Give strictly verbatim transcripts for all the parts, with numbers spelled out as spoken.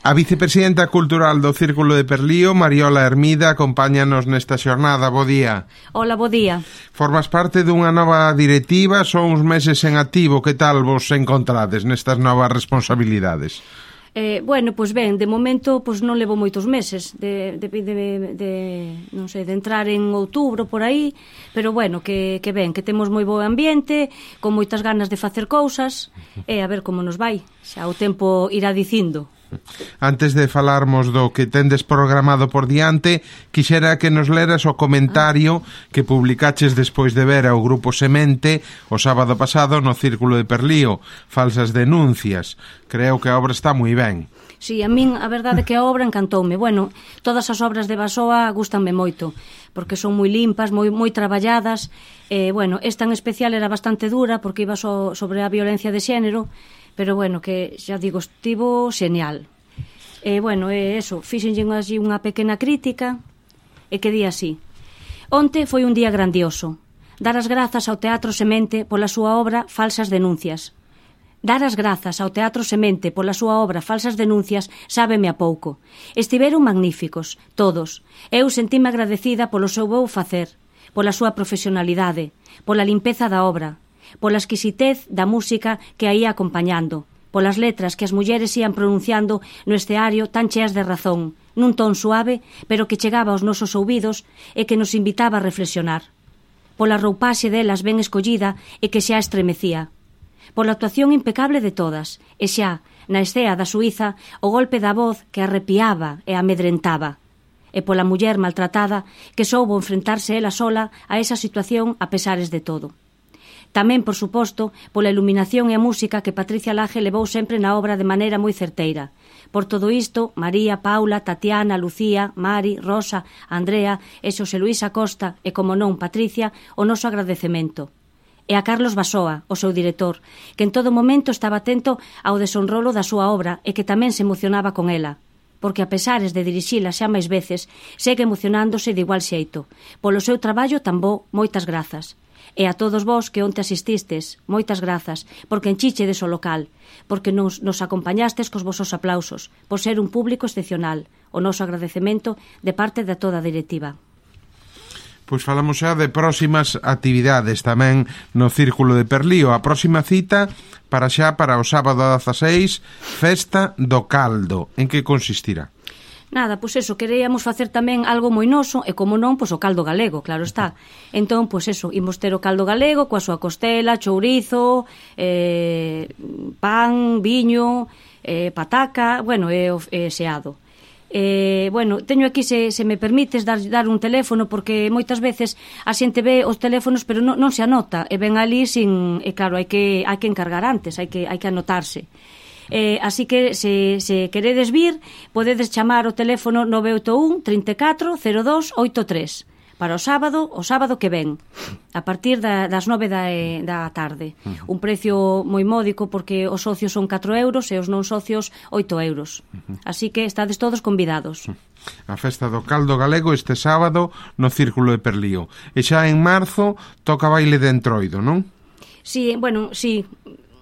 A vicepresidenta cultural do Círculo de Perlío, Mariola Hermida, acompáñanos nesta xornada. Bo día. Hola, bo día. Formas parte dunha nova directiva, son uns meses en activo. Que tal vos encontrades nestas novas responsabilidades? Eh, bueno, pois ben, de momento pois non levo moitos meses de, de, de, de, non sei, de entrar en outubro por aí, pero bueno, que, que ben, que temos moi bo ambiente, con moitas ganas de facer cousas, e a ver como nos vai, xa o tempo irá dicindo. Antes de falarmos do que tendes programado por diante, quixera que nos leras o comentario que publicaches despois de ver ao Grupo Semente o sábado pasado no Círculo de Perlío, Falsas denuncias. Creo que a obra está moi ben. Si, sí, a min a verdade é que a obra encantoume. Bueno, todas as obras de Basoa gústanme moito, porque son moi limpas, moi moi traballadas. Eh, bueno, esta en especial era bastante dura porque iba so, sobre a violencia de xénero, pero bueno, que xa digo, estivo xenial. E bueno, é eso, fixenlle así unha pequena crítica e que di así: onte foi un día grandioso. Dar as grazas ao Teatro Semente pola súa obra Falsas denuncias. Dar as grazas ao Teatro Semente pola súa obra Falsas denuncias sábeme a pouco. Estiveron magníficos, todos. Eu sentime agradecida polo seu bo facer, pola súa profesionalidade, pola limpeza da obra, pola exquisitez da música que a ia acompañando, polas letras que as mulleres ían pronunciando no esteario tan cheas de razón, nun ton suave, pero que chegaba aos nosos ouvidos e que nos invitaba a reflexionar, pola roupaxe delas ben escollida e que xa estremecía, pola actuación impecable de todas, e xa, na escea da Suíza, o golpe da voz que arrepiaba e amedrentaba, e pola muller maltratada que soubo enfrentarse ela sola a esa situación a pesares de todo. Tamén, por suposto, pola iluminación e a música que Patricia Laje levou sempre na obra de maneira moi certeira. Por todo isto, María, Paula, Tatiana, Lucía, Mari, Rosa, Andrea e Xosé Luís Acosta e, como non, Patricia, o noso agradecemento. E a Carlos Basoa, o seu director, que en todo momento estaba atento ao desonrolo da súa obra e que tamén se emocionaba con ela, porque a pesares de dirixila xa máis veces, segue emocionándose de igual xeito. Polo seu traballo tan bo, moitas grazas. E a todos vós que onte asististes, moitas grazas, porque enchichedes o local, porque nos, nos acompañastes cos vosos aplausos, por ser un público excepcional. O noso agradecemento de parte de toda a directiva. Pois falamos xa de próximas actividades tamén no Círculo de Perlío. A próxima cita para xa para o sábado dezaseis, Festa do Caldo. En que consistirá? Nada, pois eso, queríamos facer tamén algo moi noso e, como non, pois o caldo galego, claro está. Entón, pois eso, imos ter o caldo galego coa súa costela, chourizo, eh, pan, viño, eh, pataca, bueno, e, e xeado. Eh, bueno, teño aquí, se, se me permites, dar, dar un teléfono, porque moitas veces a xente ve os teléfonos pero non, non se anota, e ven ali sin, e claro, hai que, hai que encargar antes, hai que, hai que anotarse. Eh, así que se, se queredes vir, podedes chamar o teléfono nove oito un, trinta e catro, cero dos, oito tres para o sábado, o sábado que ven, a partir da, das nove da, da tarde. Un precio moi módico, porque os socios son catro euros e os non socios oito euros. Así que estades todos convidados. A festa do caldo galego este sábado no Círculo de Perlío. E xa en marzo toca baile de entroido, non? Sí, bueno, sí.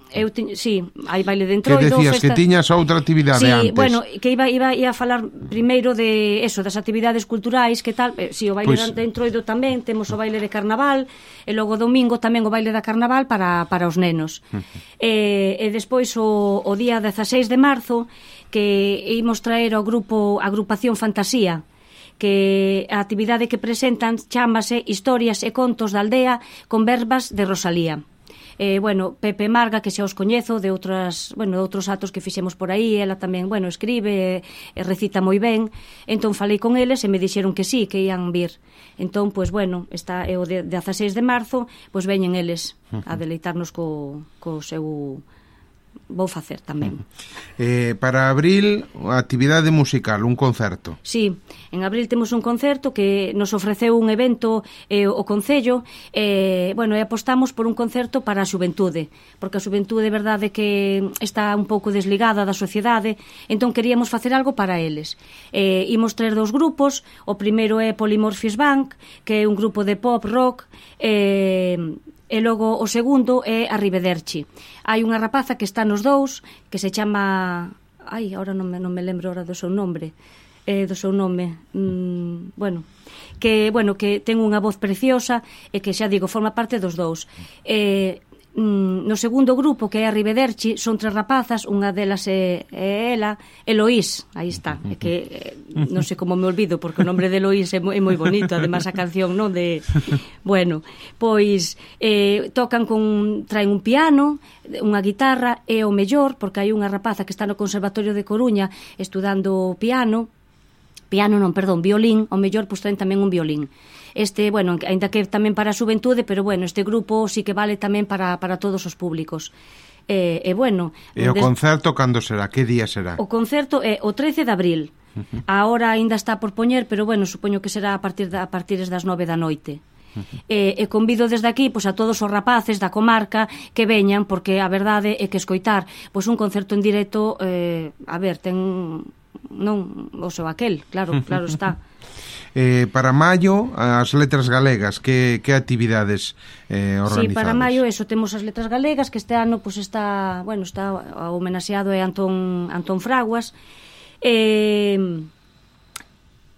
Eu ti, sí, hai baile de entroido. Que decías festa... que tiñas outra actividade sí, antes. Bueno, que iba, iba, iba a falar primeiro de eso, das actividades culturais, que tal, eh, si, sí, o baile pues... de entroido tamén, temos o baile de carnaval, e logo domingo tamén o baile da carnaval para, para os nenos. e, e despois o, o día dezaseis de marzo, que imos traer ao grupo Agrupación Fantasía, que a actividade que presentan chámase Historias e Contos da Aldea con verbas de Rosalía. Eh, bueno, Pepe Marga, que xa os coñezo de outras, bueno, de outros actos que fixemos por aí, ela tamén, bueno, escribe e recita moi ben. Entón falei con eles e me dixeron que sí, que ian vir. Entón, pois bueno, está é o de dezaseis de marzo, pois veñen eles a deleitarnos co, co seu vou facer tamén. Eh, para abril, actividade musical, un concerto. Sí, en abril temos un concerto que nos ofreceu un evento eh, o Concello, e, eh, bueno, e apostamos por un concerto para a xuventude, porque a xuventude, verdade, que está un pouco desligada da sociedade, entón queríamos facer algo para eles. Eh, imos traer dos grupos, o primeiro é Polymorphis Bank, que é un grupo de pop rock, eh, e logo o segundo é Arrivederci. Hai unha rapaza que está nos dous, que se chama ai, agora non me, non me lembro ahora do seu nombre, eh, do seu nome, mm, bueno, que, bueno, que ten unha voz preciosa e que, xa digo, forma parte dos dous. Eh, no segundo grupo, que é a Rivederchi, son tres rapazas, unha delas é, é ela, Eloís, aí está, é que eh, non sei como me olvido, porque o nombre de Eloís é moi, é moi bonito, además a canción, non, de, bueno, pois eh, tocan con, traen un piano, unha guitarra e o mellor, porque hai unha rapaza que está no Conservatorio de Coruña estudando piano, piano non, perdón, violín, o mellor pois traen tamén un violín. Este, bueno, ainda que tamén para a xuventude, pero bueno, este grupo sí que vale tamén para, para todos os públicos. E, e bueno... E o des... concerto cando será? Que día será? O concerto é o trece de abril. Uh-huh. A hora aínda está por poñer, pero bueno, supoño que será a partir, da, a partir das nove da noite. Uh-huh. E, e convido desde aquí pois, a todos os rapaces da comarca que veñan, porque a verdade é que escoitar pois, un concerto en directo, eh, a ver, ten... non o seu aquel, claro, claro está. Eh, para maio, as letras galegas, que, que actividades eh, organizadas? Sí, para maio, eso, temos as letras galegas, que este ano pues, está, bueno, está homenaxeado é Antón, Antón Fraguas. E,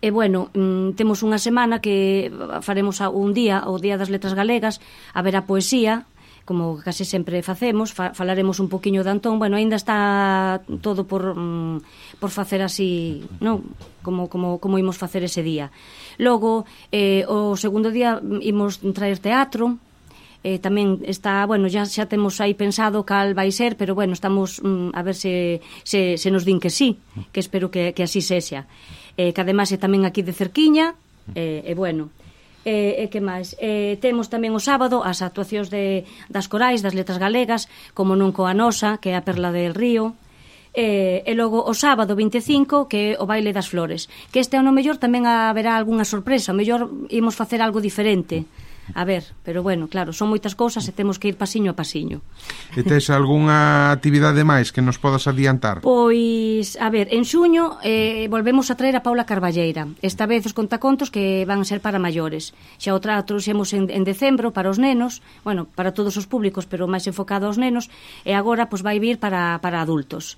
e bueno, temos unha semana que faremos un día, o Día das Letras Galegas, haberá poesía, como case sempre facemos, fa, falaremos un poquiño de Antón, bueno, aínda está todo por, mm, por facer así, non? Como, como, como imos facer ese día. Logo, eh, o segundo día imos traer teatro, eh, tamén está, bueno, já, xa temos aí pensado cal vai ser, pero bueno, estamos mm, a ver se, se, se nos din que sí, que espero que, que así sexa. Eh, que además é tamén aquí de cerquiña, e eh, eh, bueno... E, e que máis? E, temos tamén o sábado as actuacións de, das corais, das letras galegas, como non coa nosa, que é a Perla del Río, e, e logo o sábado vinte e cinco, que é o Baile das Flores, que este ano mellor tamén haberá algunha sorpresa, mellor imos facer algo diferente. A ver, pero bueno, claro, son moitas cousas e temos que ir pasiño a pasiño. E tes algunha actividade máis que nos podas adiantar? Pois, a ver, en xuño eh, volvemos a traer a Paula Carballeira. Esta vez os contacontos que van ser para maiores. Xa outra trouxemos en, en decembro para os nenos, bueno, para todos os públicos, pero máis enfocado aos nenos, e agora pois vai vir para, para adultos.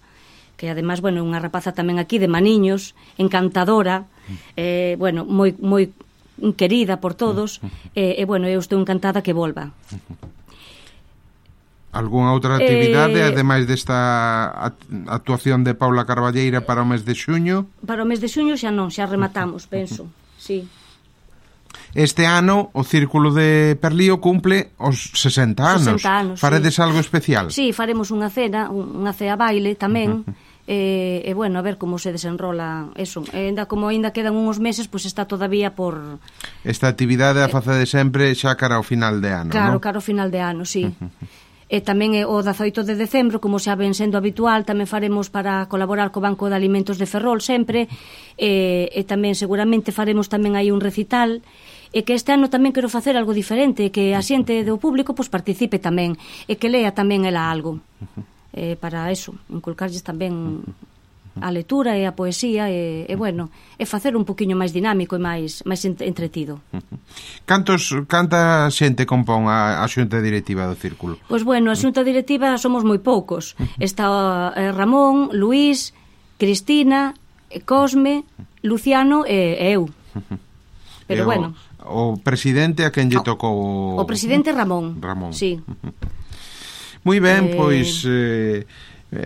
Que además, bueno, unha rapaza tamén aquí de Maniños, encantadora, eh, bueno, moi, moi querida por todos, e, eh, bueno, eu estou encantada que volva. Algúnha outra actividade, eh, ademais desta actuación de Paula Carballeira para o mes de xuño? Para o mes de xuño xa non, xa rematamos, penso, sí. Este ano o Círculo de Perlío cumple os sesenta anos. sesenta anos, Faredes sí. algo especial? Sí, faremos unha cena, unha cea baile tamén, uh-huh. E, e bueno, a ver como se desenrola eso. E ainda como ainda quedan uns meses, pois pues está todavía por... Esta actividade a facede sempre xa cara ao final de ano, Claro, non? cara ao final de ano, sí. E tamén o dezaoito de decembro, como xa ven sendo habitual, tamén faremos para colaborar co Banco de Alimentos de Ferrol sempre, e, e tamén seguramente faremos tamén aí un recital, e que este ano tamén quero facer algo diferente, que a xente do público pois participe tamén, e que lea tamén ela algo. Eh, para eso, inculcarlles tamén a lectura e a poesía e, e bueno, e facer un poquinho máis dinámico e máis máis entretido. Cantos canta xente compón a, a xunta directiva do Círculo? Pois bueno, a xunta directiva somos moi poucos. Está eh, Ramón, Luís, Cristina, Cosme, Luciano e, e eu. Pero e o, bueno. O presidente a quen lle tocou? O presidente Ramón. Ramón. Sí. Moi ben, eh... pois eh,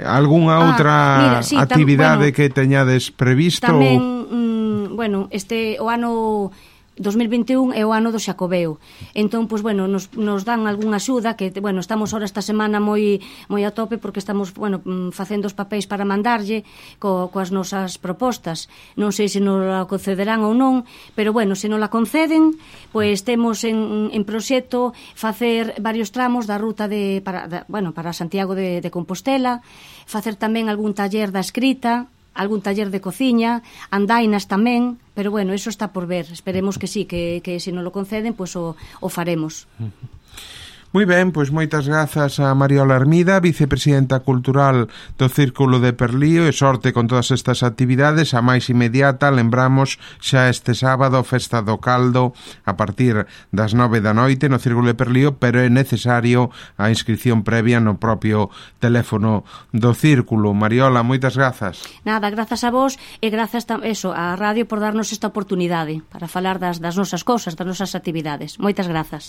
algunha outra ah, mira, sí, actividade tam, bueno, que teñades previsto? Tamén, mm, bueno, este o ano dos mil vinte e un é o ano do Xacobeo. Entón, pois, bueno, nos, nos dan algunha axuda, que, bueno, estamos ahora esta semana moi moi a tope, porque estamos, bueno, facendo os papéis para mandarlle co, coas nosas propostas. Non sei se nos la concederán ou non, pero, bueno, se nos la conceden, pois temos en, en proxecto facer varios tramos da ruta de, para, da, bueno, para Santiago de, de Compostela, facer tamén algún taller da escrita, algún taller de cociña, andainas tamén, pero bueno, eso está por ver. Esperemos que sí, que, que se nos lo conceden, pois pues o, o faremos. Moi ben, pois moitas grazas a Mariola Hermida, vicepresidenta cultural do Círculo de Perlío, e sorte con todas estas actividades. A máis inmediata, lembramos, xa este sábado, Festa do Caldo, a partir das nove da noite no Círculo de Perlío, pero é necesario a inscripción previa no propio teléfono do Círculo. Mariola, moitas grazas. Nada, grazas a vos e grazas eso, á radio por darnos esta oportunidade para falar das, das nosas cousas, das nosas actividades. Moitas grazas.